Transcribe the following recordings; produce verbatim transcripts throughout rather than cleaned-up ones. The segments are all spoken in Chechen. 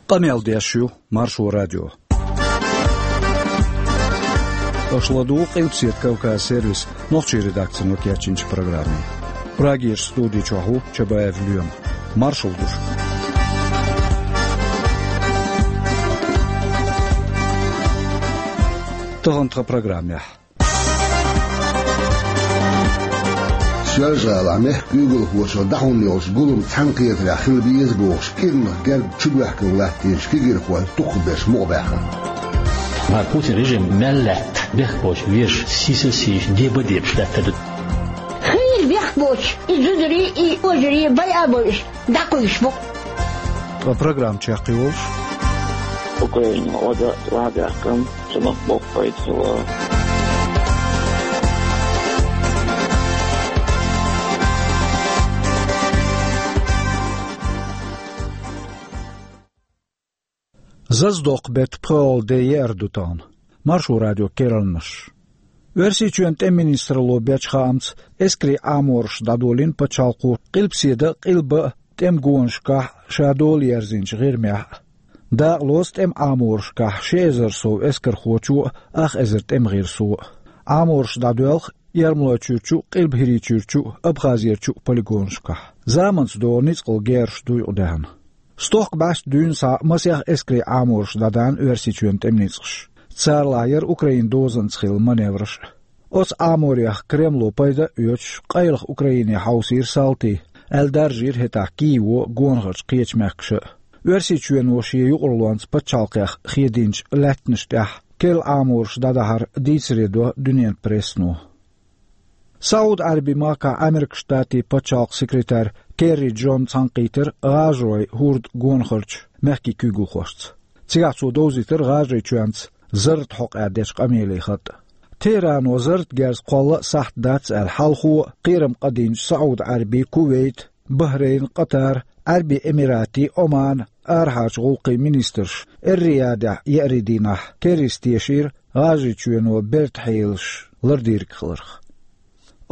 Къамел деш ю Маршо радио. Аша ладугӀу Къилбаседа Кавказ сервисан нохчийн редакцино кечйинчу программе. Прагерчу студи чохь ву Чабаев Лоьма. Маршалла ду шуьга. Тахана тхан программехь. Соьлжа-ГӀалахь мехкан куьйгалхочо дӀахьун йолчу гулам цхьаьнакхетарехь хила беза бохуш, кӀирнах герга чубоьхкина латтийначу кегийрхойн дукхахберш мукъабаьхна. Мара Путин режим мел лаьтта бехк боцуш вежарий сийсаз сийсаш, деба дебаш лаьттар ду. Хийра бехк боцуш и зударий, и кожарий байа а бойуш, дӀакхуьйсуш бу. Ткъа программа чекхйолуш. Украина ода ладаьккхина, цунах боккха пайда хилла. Зазадоккху беттан пхоьалгӀа де еара ду тахана. Маршо радион керланаш. Оьрсийчоьнан тӀеман министралло бечу хаамца, эскарийн Ӏамораш дӀадолийна пачхьалкхо Къилбаседа а, Къилба а тӀеман гонашкахь а, ша дола ерзийначу ГӀирмехь а. Дакъалоцу тӀеман Ӏаморашкахь ши эзар сов эскархочо а, ах эзар тӀеман гӀирсо а. Ӏамораш дӀадоьлху Ермолойчуьрчу а, Къилба-ХӀирийчуьрчу а, Абхазерчу а полигонашкахь. Заманца догӀу ницкъала герзаш дуй кху даьхна. Стохка бӀаьста дуьйна схьа масех эскарийн Ӏамораш дӀадаьхьна Оьрсийчоьнан тӀеман ницкъаша. Царалахь яра Украинан дозанца хилла маневраш а. Оцу Ӏаморех Кремло пайда а оьцуш, къайлаха Украине хьовсийра салтий, аьлла даржийра хӀетахь Киево а, гонахарчу кхечу мехкаша а. Оьрсийчоьно шен юкъарлонца пачхьалкхех хедийначу лаьттанаш тӀехь керла Ӏамораш дӀадахьар дийцаре до дуьненан прессано. СаӀуд-Ӏаьрбийн махкахь Ӏамеркан Штатийн пачхьалкхан секретарь Керри Джонна цхьаьнакхийтира ГӀажаройн хӀордан гонахарчу мехкийн куьйгалхошца. Цигахь цо довзийтира ГӀажарийчоьнца зарратан хьокъехь дечу къамелийн хатӀ. ТехӀрано зарратан герз кхолла а сахьт дац аьлла, хьалхо а кхерам къадийначу СаӀуд-Ӏаьрбийн, Кувейт, Бахрейн, Къатар, Ӏаьрбийн Эмиратийн, Оманан арахьарчу гӀуллакхийн министрша Эр-Риядехь еарин дийнахь Керрис тешийра ГӀажарийчоьно бертан хьелаш лардийриг хиларх.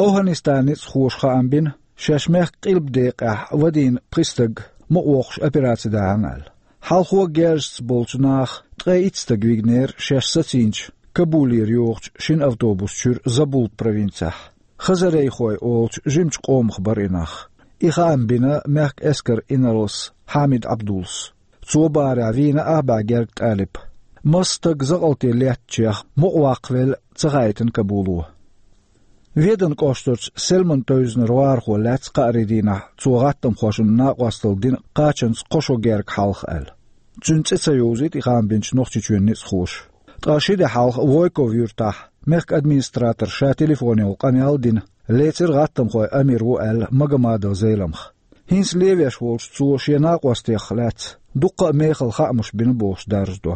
ОвхӀанистанан ницкъахоша хаам бина, шаьш мехкан къилба декъехь вадийна пхи стаг мукъавоккхуш операци даьхьна аьлла. Хьалхо герзашца болчу наха ткъе итт стаг вигнера шаьш сацийначу, Кабулера йогӀучу шина автобус чуьра Забул провинцехь. Хазарейхой олучу жимачу къомах бара и нах. И хаам бина мехкан эскаран инарлас Хьамид Ӏабдуллас. Цо бахарехь, вийна ах бӀе гергга тӀалиб. Масса стаг закъалте леттачех мукъаваккхавелла ца хаийтина Кабуло. Веданан кӀоштарчу Сельман-Тойзнера вахархо лаьцна кхаарин дийнахь, цо гӀаттамхошна накъосталла дина кхачанца кхо шо гергга хьалха аьлла. Цуьнан цӀе ца йовзуьйту и хаам бинчу Нохчийчоьнан ницкъахоша. Ткъа ши де хьалха Войков-Юьртахь мехкан администраторо ша телефонехула къамел а дина, лецира гӀаттамхойн амир ву аьлла Магомадов Зеламха. ХӀинца левеш волчу цо шен накъостех лаьцна дуккха а мехала хаамаш бина бохуш даржадо.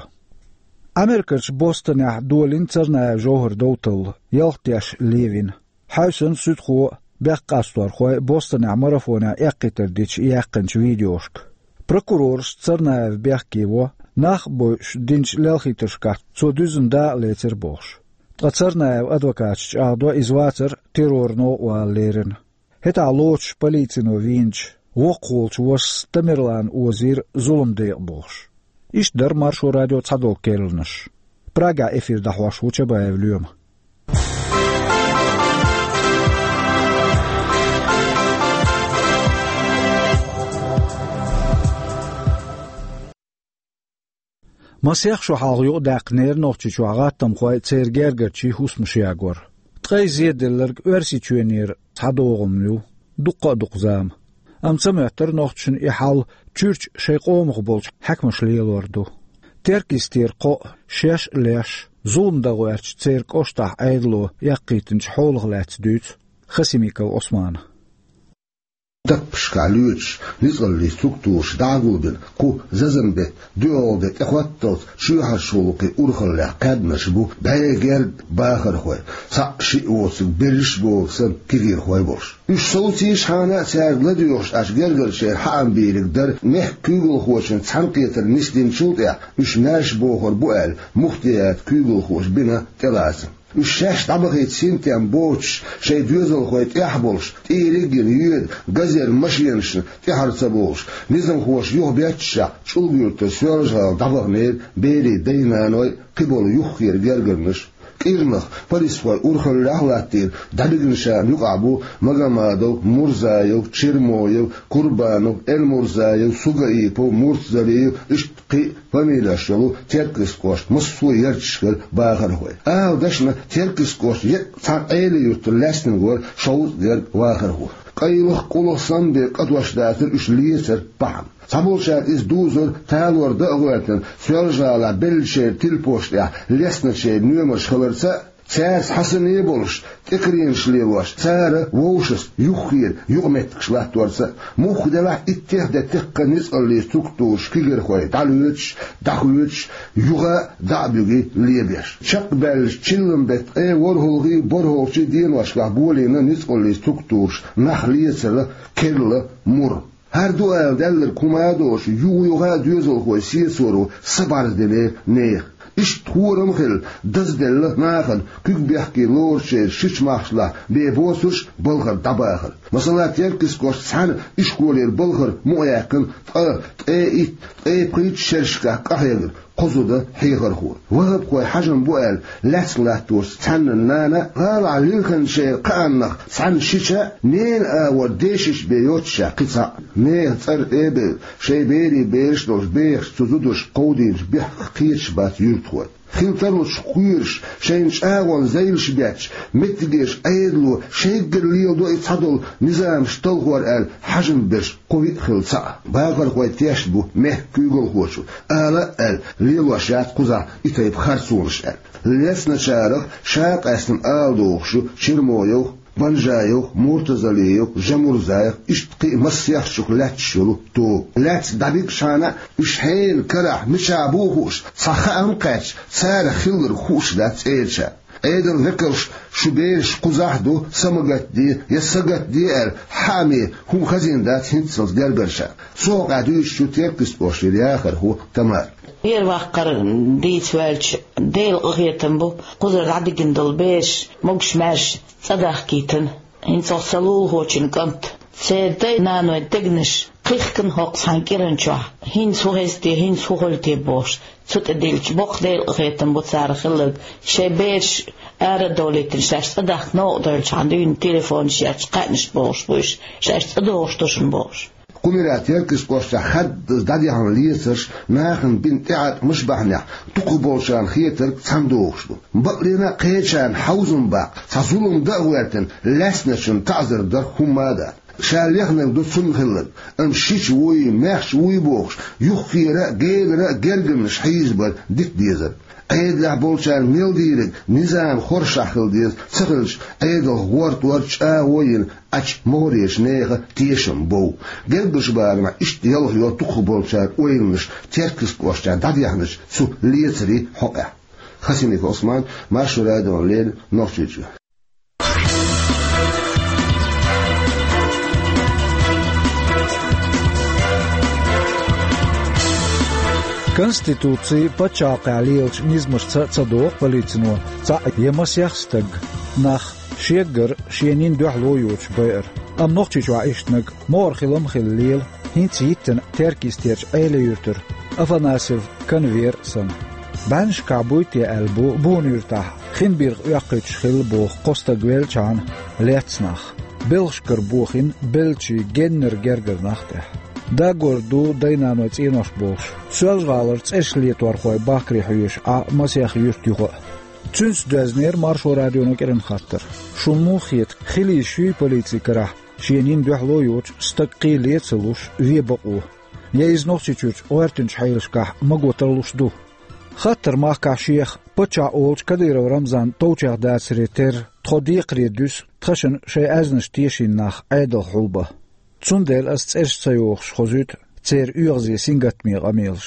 Ӏамеркарчу Бостонехь долийна Царнаев Жовхар довталла, ялх теш левина. Хьаьвсина суьдхо а, бехк къасторхой а Бостонехь марафонехь эккхийтар дича яьккхинчу видеошка. Прокурорша Царнаев бехке во, нах а бойуш динчу лелхийтаршкахь цо дуьззина дакъа лецира бохуш. Ткъа Царнаевн адвокаташа чӀагӀдо, иза вацара терроран новкъа вала лерина. ХӀетахь лоцуш полицино вийначу воккхах волчу вашас Тамерлана озийра зулам декъа бохуш. Иштта дара Маршо радион цхьадолу керланаш. Прагехь эфир дӀахьош ву Чабаев Лоьма. Масех шо хьалха юкъадаьккхинера Нохчийчохь гӀаттамхойн, церан гергарчийн хӀусамаш ягор. Ткъе зеделларг Оьрсийчоьнера цхьа догӀмана ю, дуккха а ду кху зама. Амма ца моьттура нохчашна и хьал чуьрчу шайн къомах болчу хьаькамаша лелор ду. Теркйистера кхоъ, шаьш а леш, зулам дан гӀоьртича, церан кӀоштахь Ӏедало эккхийтинчу хьолах лаьцна дуьйцу Хасимиков Ӏусмана. Даппашкахь лоьцуш ницкъаллийн структураша дӀа а гулбина, кху зазан беттан доьалгӀа де тӀехӀотталц чоьхьарчу гӀуллакхийн урхаллех кхаьбнарш бу бӀе гергга бахархой, цхьаъ-шиъ воцург берриш а бохург санна кегийрхой а болуш. Уьш совцийчхьана а цаьрга ладоьгӀуш Ӏаш гергарчеран хьаам бийриг дара мехкан куьйгалхочун цхьаьнакхетар нисдинчул тӀаьхьа уьш маьрша бохур бу аьлла муфтиятан куьйгалхоша бина тӀелацам. Уьш шаьш дӀабахийта синтем боцуш, шайн доьзалхой тӀехь а болуш, тӀера а гина йоьду газера машенашна тӀаьхьара ца богӀуш, низамхоша юхабетташехь, ЧӀулга-Юьртара Соьлжа-ГӀала дӀабаханера берийн дай-наной, кхиболу юххера гергарнаш. КӀирнах полисхой урхаллехь а латтийна, дӀабигначарна юкъахь бу Магомадов, Мурзаев, Чермоев, Курбанов, Эльмурзаев, Сугаипов, Муртазалиев, иштта кхин а фамилеш йолу Теркйистан кӀоштан массо а ярташкара бахархой. Ала дашна, Теркйистан кӀоштан еккъа цхьана Ӏелин-Юьртара лаьцнарг вара шовзткъа гергга вахархо. Къайлаха, къулаха самабен кӀантош дацара уьш лецаран бахьана. Цхьаболчара иза дузура талор дан а гӀоьртина, Соьлжа-ГӀалахь беллачеран телепошна тӀехь лецначеран номерш хиларца а, цаьрца хьасане а болуш, тӀекаренаш лелош, цара вовшашца юххера юкъаметтигаш латторца а. Мухха делахь а, иттех а де текхна ницкъаллийн структураш кегийрхой дӀалоьцуш, дӀахоьцуш, юха а дӀа а буьгий лебеш. Чекхбаьллачу чиллан беттан ткъе ворхӀалгӀий, борхӀалгӀачий деношкахь болийна ницкъаллийн структураша нах лецаран керла мур. ХӀара ду ала даьлларг хӀума а доцуш, юха-юха а доьзалхой сецоро са бӀарздинера нехан. Иштта хорам а хилла, дазделла нахана куьг бехке лоручеран шича махкашлахь бен боцурш балхара дӀабахар. Масала, Теркйистан кӀоштан цхьана ишколера балхара мукъаяьккхина ткъа, ткъе итт, ткъе пхийтта шерашкахь къахьегна кхо зуда хьехархо. Ваххабхой хьажам бу аьлла, лаьцна латторца цхьаннан нана а, гӀалахь лилхинчеран кхааннах цхьанна шича а, ненан агӀор дешича бен йоццушехь кхин цхьаъ. Нехан цӀера тӀе а бевлла, шайн берийн бераш долуш бехачу цу зударша кховдийначу бехках кхеташ бац юьртахой. Хила тарлучух кхоьруш, шайна чӀагӀонан зайлаш бетташ, меттигерчу Ӏедало шайггара леладо и цхьадолу низамаш талхор аьлла хьажам берш кхо-виъ хилла цхьаъ. Бахархой тешна бу мехкан куьйгалхочо, ала а аьлла, лелош яц кхузахь и тайпа харцонаш аьлла. Лецначарах ша къаьстина ала догӀуш ю Чермоевх, Банжаевх, Муртазалиевх, Жамурзаевх, иштта кхин а массехчух лаьтташ йолу тоба. Лаьцна дӀабигчхьана а, уьш хьенан карахь мичахь бу хууш, цхьа хаам кхаьчча, царах хилларг хууш дац цӀерачарна. Ӏедалан векалш, шу бераш кхузахь а ду, са ма гатде я са гатде аьлла, хьааме хӀума хазийна дац хӀинццалц гергарчарна. Цу хьокъехь дуьйцуш ю Теркйистан кӀоштара яхархо Тамара. Вер-ваккхар дийца ваьлча, Делан къинхетам бу, кхузара дӀадигина долу бераш, могуш-маьрша цӀа дахкийтина. ХӀинца оха сан лулахочун кӀант. Церан дай-наной дегнаш кхихкина хӀокху цхьана кӀиран чохь. ХӀинца хӀун хеза те, хӀинца хӀун хуьлу те бохуш, цу тӀе диллича, боккха Делан къинхетам бу царах хилларг. Шайн бераш ара а долийтина, шаьш цӀа дахка новкъа девллачхьана дуьйна телефонаш етташ кхаьънаш бохуш бу уьш, шаьш цӀа догӀуш ду шуна бохуш. Кху муьрехь Теркйистан кӀоштахь хаддаза дӀадехьна лецарш нахана бина тӀеӀаткъамаш бахьанехь дукхахболчарна хетарг цхьаьна догӀуш ду. Бакъдерг а, кхечарна хьовзам баккха, цхьа зулам дан а гӀоьртина, лаьцначунна таӀзар дар хӀумма а дац. Ша лехнарг ду цунна хилларг, амма шича вуй, маьхча вуй бохуш, юххера а, генара а гергарнаш хьийзабар дита дезар. Ӏедалехь болчарна мел дийриг низам хоршахь хила деза, ца хилча, Ӏедалх гӀортор чӀагӀо йина, Ӏачу могӀарерчу нехан тешам бов. Герггарчу барамехь иштта ялхайо дукхахболчара ойланаш Теркйистан кӀоштахь дӀадехначу цу лецарийн хьокъехь. Хасимиков Ӏусман, Маршо радиона леррина, Нохчийчоь. Конституци, пачхьалкхехь лелачу низамашца а ца догӀу полицино цхьаъ я масех стаг, нах, шеггара шен нин дуьхьало йоцуш байар. Амма Нохчийчохь иштаниг могӀара хила ма хилла лела, хӀинца йиттина Теркйистерчу Ӏелин-Юьртара Афанасьев Канвер а санна. БӀаьннашкахь буй те аьлла бу Буна-Юьртахь хинбирх оьккхуьйтуш хилла боху кхо стаг веллачхьана лецна нах. Белхашкара бохийна беллачийн геннара гергара нах тӀехь. Дагор ду дай-наной цӀенош бохуш, Соьлжа-ГӀалара цӀераш леторхой бахкаре хьоьжуш Ӏа масех юьрт юха а. Цуьнца доьзнера Маршо радионо кӀиран хаттар. Шуна муха хета, хила йиш юй полицин карахь шен нин дуьхьало йоцуш стаг кхин лен ца луш вен бакъо? Я иза Нохчийчуьрчу гӀоьртинчу хьелашкахь маго тарлуш ду? Хаттар махкахь шех паччахь олучу Кадыров Рамзанна товчех дацаре терра, тхо декхаре дуьсу тхаьшна шайн аьзнаш тешийна нах Ӏедалх хьулбан. Цундела ас цӀераш ца йохуш хозуьйту церан оьгӀазе сингаттаме къамелаш.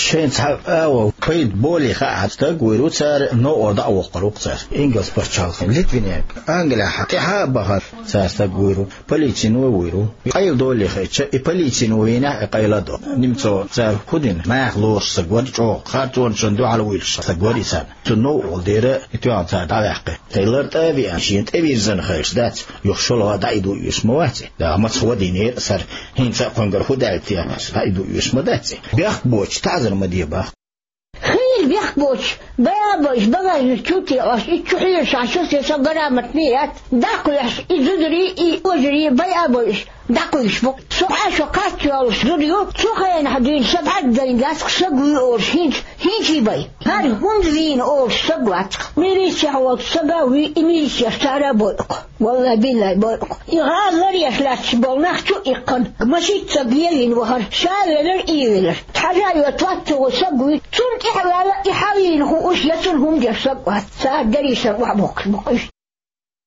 Шайн цхьа а пайда болий хаьа стаг вуйр ву цара, новкъа дӀа а воккхур ву-кх цара. Ингалс пачхьалкхе, Литвинехь, Англехь тӀаьхьа а бахар цара стаг вуйр ву, полицино вуйр ву. Къайладолий хетча, и полицино вийнехь а, и къайла а до. Немцов цара хӀун дина, наха лоруш стаг вара чӀогӀа, харцонашна дуьхьал вуьйлуш стаг вара и санна. Цунна новкъа дера, и тоьхна цара дӀаваьккхи. Тхай лар тӀе а веана, шена тӀевирзина хилча дац, юха шолгӀа дӀаийдо оьшуш ма вац и. Да, маца гӀо динера сара, хӀинца а кхуьнгара хӀун даьлла техьа, дӀаийдо оьшуш ма дац и. Бехк боцуш, таӀзар ма де боху. Хийла бехк боцуш, байа а бойуш, багажник чу а текъош, и чу хьоьжуш Ӏаш, со, со грамотный яц, дӀакхоьхьуш, и зударий, и кожарий байа а бойуш, дӀакхуьйсуш бу. Со Ӏашо кхаччалуш зуда ю, цу хенахь дуьйна сан бӀаьрг дайна дац-кх, стаг вуй олуш, хӀинца, хӀинца а бай. ХӀара хӀунда вийна олуш стаг вац-кх. Милицехь волчу стага вуй, и милицех цара а бойу-кх. Валлай, биллай, бойу-кх. И гӀала ларъеш лаьтташ болу нах чу а иккхина, машица стаг лелийна вахара, ша а велира, и а велира. Тхьажа а йоцу вац ца ву стаг вуй, цунна тӀаьхьа ваьлла, и хьалийна хууш я цунна хӀума деш стаг вац. Цара дерриш а охьабоккхуш бу-кх уьш.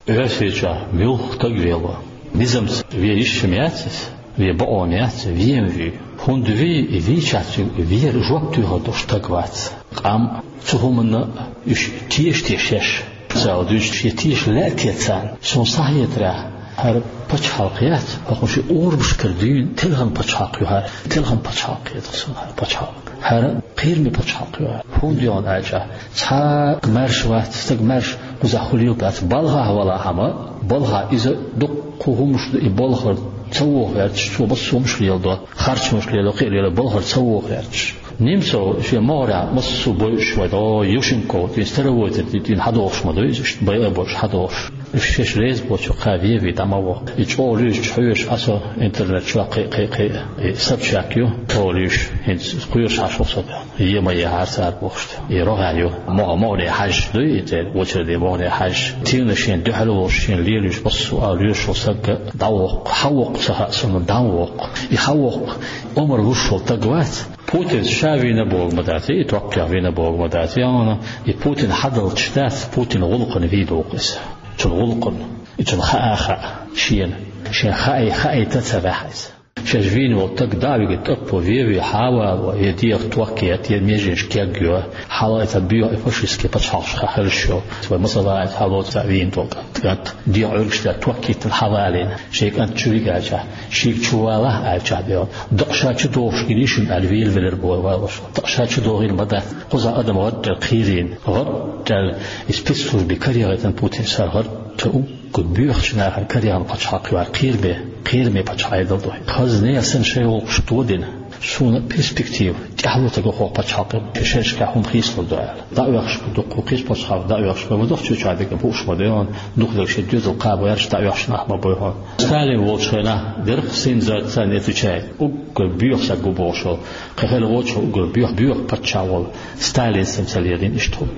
Оьрсийчохь муьлхха стаг вело, низамца вен йиш-м яц иза, вен бакъо-м яц, вен-м вуьй. ХӀунда вуьй, и вийчахь цуьнга вер жоп тоьхур долуш стаг вац. Къам цу хӀуманна уьш теша-теша еш. Цара дуьйцуш, шен теша лаьа те царна, суна схьахетарехь, хӀара пачхьалкх яц, хӀокху ши урамашкара дуьйна телхина пачхьалкх ю хӀара, телхина пачхьалкх хета-кх суна хӀара пачхьалкх. ХӀара кхераме пачхьалкх ю хӀара. ХӀунда аьлча, цхьа а маьрша вац, стаг маьрша кхузахь хуьлийла дац, балхахь валахь-м, балхахь иза дуккха хӀуманаш ду, и балхара ца воху гӀерташ, цо массо а хӀуманаш леладо, харцонаш лело, кхин а лело, балхара ца воху гӀерташ. Немцов шен могӀарехь массо а бойуш вай, о, Юшенко, тӀе старовойтар, тӀе, тӀе хьадохуш ма ду иза, иштта байа а бойуш хьадохуш. Уьш шаьш реза боцург кхин вен-вен дӀа ма ваха. И чӀогӀа луьйчу хьоьжуш Ӏа со интернет чохь кхин, кхин, кхин, и Собчак ю, чӀогӀа луьйш, хӀинца кхоьруш Ӏаш ву со. Е ма ехьара цара бохуш. И рогӀаьлла ю. МогӀа-, могӀане хьаьжча дуй, и церан очереде могӀане хьаьжча. Тина шен дуьхьал волуш, шен лелош массо а лоьшуш волу стаг дӀавоккху, хьан воккху ца хаьа суна, дӀа ма воккху. И хьан воккху, омра луш волу стаг вац. Путинца ша вийна бохург ма дац, и токкхех вийна бохург ма дац. Яхана, и Путин хьадалчаш дац, Путин гӀуллакхана вийна ву-кх иза. Цуьнан гӀуллакхана, и цунна хаа а хаьа шена. Шен хаий, хаийта ца ваьхьа иза. Шаьш вийна волу стаг дӀа а вигна тӀаппо вен-вен хьан а вало, я дегӀах ток етта, я меженаш кегйо, хьала а ца боьха и фашистский пачхьалкхаш хьан хьаьжча йо. Вай масала а хьалоцу цхьа вийна долу кӀант, кӀант дегӀан Ӏуьргаш тӀе ток йиттина хьавалийна, шен кӀант чу вигача, шега чу валахь аьлча дегӀан, дакъа ша чу дохуш гина йиш ю аьлла, вийла велира боху валош. Дакъа ша чу дохийла ма дац. Кхузахь адам гӀаттара кхийрийна, гӀаттара и спецслужби карегӀайтина Путин сар гӀатта у. Кху боьхачу нахана карегӀан пачхьалкх ю хӀара, кхераме, кхераме пачхьалкх Ӏедал ду. Хаза нехан санна шайн гӀуллакхаш тодина, суна перспектива тӀаьхьало ца го хӀокху пачхьалкхана, шерашкахь хӀума хийцалур ду аьлла. ДӀаоьхуш ду кху кхечу пачхьалкх, дӀаоьхуш ма ду, чоьхьа дерг а бууш ма ду хьуна, дукха дерг шен доьзал кхаба гӀерташ дӀаоьхуш нах ма бу хьуна. Сталин волчу хенахь дерриг сензациян отвечает, уггар боьха стаг ву бохуш волу, кхин хилла волчу уггар боьха, боьха паччахь волу Сталин санна ца лелийна иштта хӀума.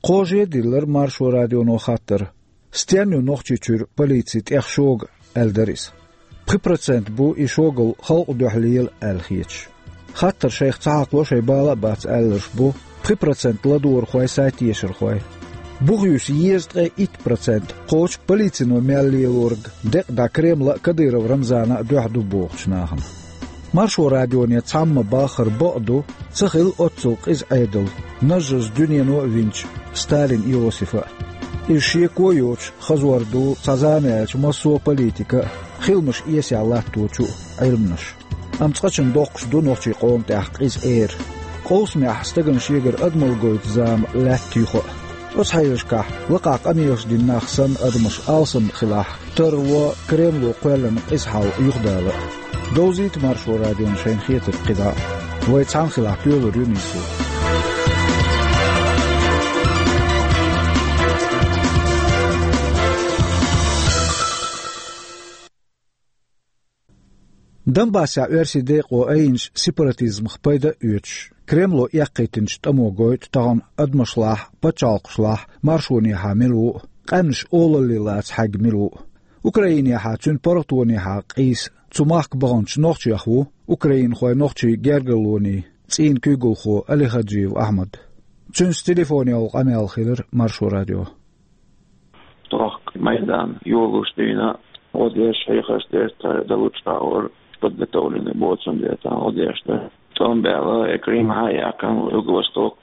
Кхо же диллира Маршо радионо хаттар: «Стенна ю Нохчийчуьра полици тӀех шога?» — аьлла дара иза. Пхи процент бу и шогал халкъан дуьхьа лела аьлла хеташ. Хаттар шайх ца хьакхало шайн бала а бац аьлларш бу пхи процент ладогӀархой, сайтешархой. Бухаюьсу езткъе итт процент кхочу полицино мел лелориг декъа дӀа Кремла а, Кадыров Рамзана а дуьхьа ду бохучу нахана. Маршо радионе цхьамма баххар бакъ ду, ца хилла оццул къиза Ӏедал, нажжаза дуьнено а винчу Сталин Иосифа а. Иза шеко а йоцуш, хазор ду цхьа зама яьлча массо а политика а, хиламаш эсехь латточу а Ӏилманаш. Амма цкъачунна доккхуш ду нохчийн къоман тӀехь къиза эр. Къовсамехь стагана шегара адамалла гойту зама лаьтта юха а. Оцу хьелашкахь, лакхахь къамелаш дина нах санна адамаш алсам хилахь, тарло Кремло кхоьллина къиза хьал юхадала а. Довзийта Маршо радион шайна хетарг кхидӀа а. Вай цхьаьна хилахь, тоьлур ю нийсо. Донбассехь оьрсийн декъо айинчу сепаратизмах пайда а оьцуш, Кремло эккхийтинчу тӀамо гойту тахана адамашлахь а, пачхьалкхашлахь а маршонехьа мила ву а, къаьмнаш олалле лаца хьаьгна мила ву а. Украинехьа, цуьнан паргӀатонехьа къийса цу махка баханчу нохчех ву украинхойн нохчийн гергарлонийн цӀийнан куьйгалхо Алихаджиев Ахьмад. Цуьнца телефонехула къамел хилира Маршо радион. Тохка Майдан йолуш дуьйна гӀо деш, хьехаш деш, цара дан лучкъа а вара, подготовленный боцун деш, цара гӀо деш дан. тӀом баьлла, э, Крым хьа а яьккхина, Юго-Восток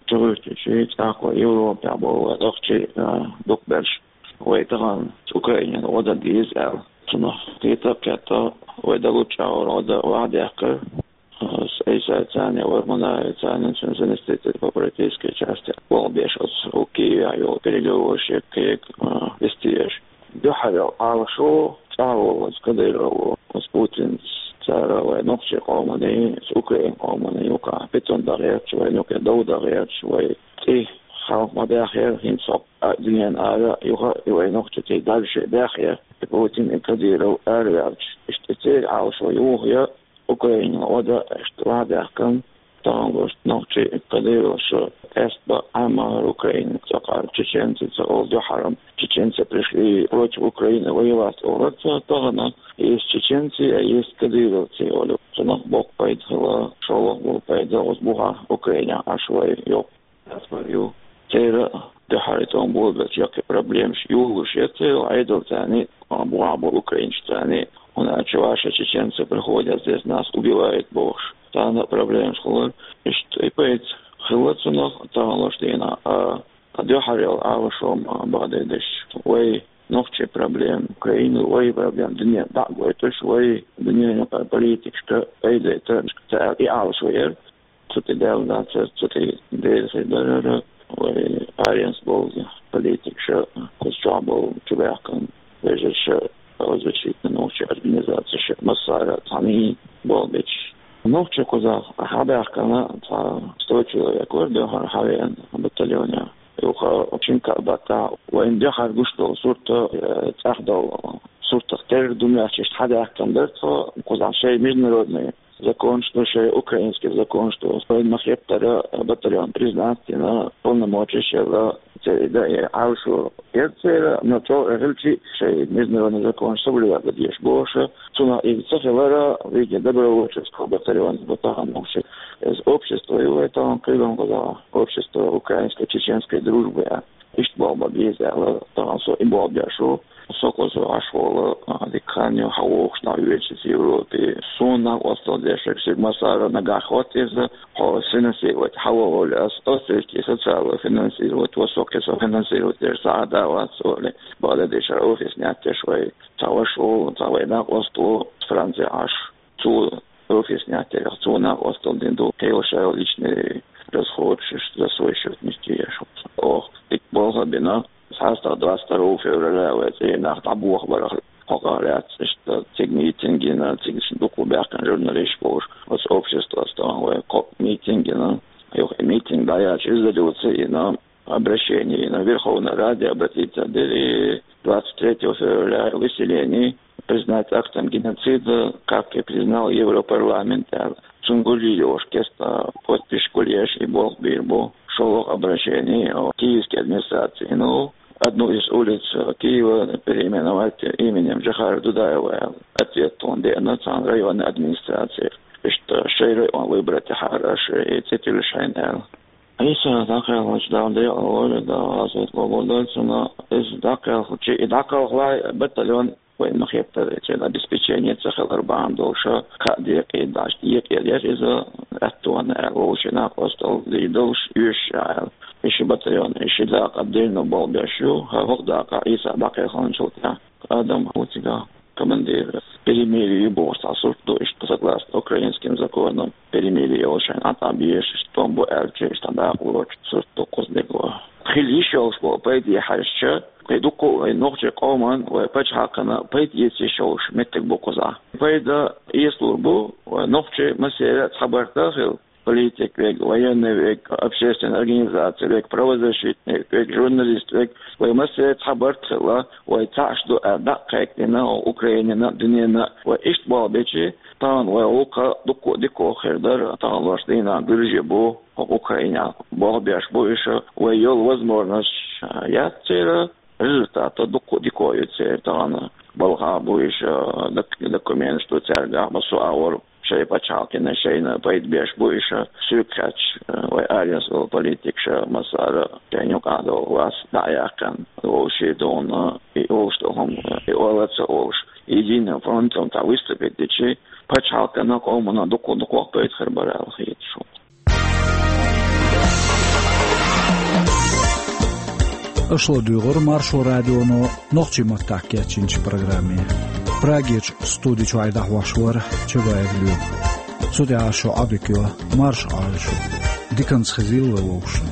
чугӀуьртичи, цӀаккха Европехь болу вайн нохчий, а, дукхаберш. Вай тахана Украинина гӀо дан деза аьлла. Цунах кхета а кхетта, вай дан луччахьара гӀо дан ваха даьккхира. С Ӏийсайца а, Варманаевца а, цуьнан заместитель по политической части болх беш оцу Киевехь йолу переговорщик Кег, а, вистеш. Дуьххьара Ӏалашо цӀа а волу оцу Кадырову, оцу Путинца, цара вайн нохчийн къоманна, оцу Украин къоманна юкъахь питана дан гӀерташ, вайна юкъахь дов дан гӀерташ, вай цӀий хьалха ма баьхьера, хӀинца хӀокху а дуьненан ара юха а и вайн нохчий цӀий дӀа шайн баьхьера, и Путин, и Кадыров араваьлча. Иштта церан Ӏалашо юха ян, Украинина гӀо дан, иштта ваха даьккхина, тахана луш нохчий Кадыровс къаьстина бан Ӏамма хӀара Украина, цкъа чеченцы ца олу дуьххьара. Чеченцы пришли против Украины воевать олура цара тахана, есть чеченцы, а есть кадыровцы олу. Цунах боккха пайда хилла, шолгӀа болу пайда, оцу бухахь Украинехь Ӏаш вай йоккха диаспора ю. Церан а дуьххьара тӀом болабелча яккхий проблемаш юхалуш яц церан Ӏедалца а, бухахь болу украинцашца а, хӀунда аьлча ваша чеченцы приходят, здесь нас убивают бохуш. Царна а проблемаш хилар. Иштта и пайда хилла цунах тахана луш дийнахь, а, ткъа дуьххьара йолу Ӏалашо ма бахьадердеш. Вай нохчийн проблема, Украина, вай проблема, дуьненна дӀа а гойтуш, вай дуьненан политикашка пайда а ца, ца аьлла, и Ӏалашо яра. Цу тӀе даьлла дацара, цу тӀе деза хир дара, вай аренца болу политикаша, кхуза чохь болу чубаьхкина вежарша, правозащитный нохчийн организацеша, массара а цхьаьна болх беш. Нохчий кхузахь хьабаьхкина цхьа сто человек вара дуьххьара хьавеана батальонехь. Юха шина-кхаа баттахь вайна дуьххьара гуш долу сурт, э, цӀахь долу суртах терра ду моьттуш иштта хьадаьккхина дара тхо, кхузахь шайн международный законаш ду, шайн украинский законаш ду. Вайна ма-хеттара батальон признать дина, полномочеш елла, церан и дан и Ӏалашо яра церан, но чӀогӀа хилчи а шайн международный законаш соблюдать дан дезаш бохуш, цунах иза ца хилара, видимо, добровольческого батальона бу тахана нохчий. Иза общество ю вай тахана кхидолу кхузахь, общество украинской чеченской дружбы аьлла. Иштта болх бан беза аьлла, тахана со и болх беш ву. Со кхуза Ӏаш волу, а, дика хан ю, хьан вохуш нах веача Европе. Суна накъосталла деш, шуьга массара а нагахь хӀотта иза, хьо финансировать хьан ван олу ас, ас социальное финансировать, ва со кхин со финансировать деш, сагӀа да вац олу. Бакъдерг дийцича, офис неттеш вай. Цхьа ваша волу, цхьа вай накъост ву Францехь Ӏаш. Цо офис неттеш, цо накъосталла дина ду, кхин шайн личный расходаш за свой счёт нести еш. Оха дика болх а бина, цхьа стаг двадцать второго февраля вай цӀийнах дӀабохабарах хьокъехь лаьцна, иштта цига митинг йина, цига дукха баьхкина журналисташ болуш, оцу обществос тахана вай кхо митинг йина. Юха и митинг дӀаяьлча, резолюци йина, обращение йина, Верховной Раде обратиться дира, двадцать третьего февраля выселение признать актом геноцида, как и признал Европарламент аьлла. Цунна гулъеш, кеста подписаш гулъеш, и болх бийр бу. ШолгӀа обращение, о, киевский администраци, ну, одну из улиц, э, Киева переименовать именем Джохара Дудаева аьлла. Ответ тхуна деана цхьана районный администраци. Иштта шайн район выбрать яхьара аша, и цӀе тиллаш хьайна аьлла. Ӏийса дӀакхелхинчу, Дала декъала войла, Дала гӀазот къобалдойла цунна, иза дӀакхелхинчу, и дӀакхалхале батальон вайна ма-хеттара, церан обеспечение ца хилар бахьана долуш, кхаа декъе дӀа декъе деш иза, аьттонна аьлла, вовшийн накъосталла дийр долуш, оьшуш аьлла. И ши батальон, и ши дакъа деррина болх беш ю, хӀара хӀокху дакъа Ӏийса дӀакхелхинчул тӀаьхьа Адам ву цигахь командир. Перемирие ю бохуш цхьа сурт ду, иштта согласно украинским законам перемирие йолуш шайна Ӏа тӀе безаш, иштта тӀом бу аьлча, иштта дакъа лоцуш сурт ду кхуза дегӀо. Хила йиш йолуш болу пайде хьаьжча, кхин дуккха а вайн нохчийн къоман, вайн пачхьалкхана пайда эца йиш йолуш меттиг бу кхузахь. Пайда эцалур бу, вайн нохчий массеран а цхьабарт а хила, политик верг, военный верг, общественная организация верг, правозащитник верг, журналист верг, вай массеран а цхьабарт а хилла, вай цхьаъ ду аьлла дӀа а кхайкхина, Украинина, дуьненна, вай иштта болх бечи, тахана вай гӀуллакх дуккха а дика хир дара, тахана луш дийнахь буьржи бу, хӀокху Украинехь болх беш бу уьш, вай йолу возможносташ яц церан, результат дуккха а дика ю церан тахана. Балхахь бу уьш, док-, документаш ду цаьргахь, массо а агӀор шайн пачхьалкхана, шайна пайда беш бу уьш, соьга хаьттича, вай аренца волу политикаш массара а шайна юкъахь долу вац дӀа а яьккхина, вовшийн дуьхьа, и олуш долу хӀума, и ола а ца олуш, Единым фронтом цхьа выступить дичи, пачхьалкхана, къомана дукха-дукха вахтойтхар бара аьлла хеташ шу. Аша ладугӀура Маршо радионо нохчийн маттахь кечйинчу программе. Прагерчу студи чуьра дӀахьош вара Чабаев Лоьма. Цу тӀехь шу Ӏадика йо, марша Ӏойла шу. Диканца хезийла вовшашна.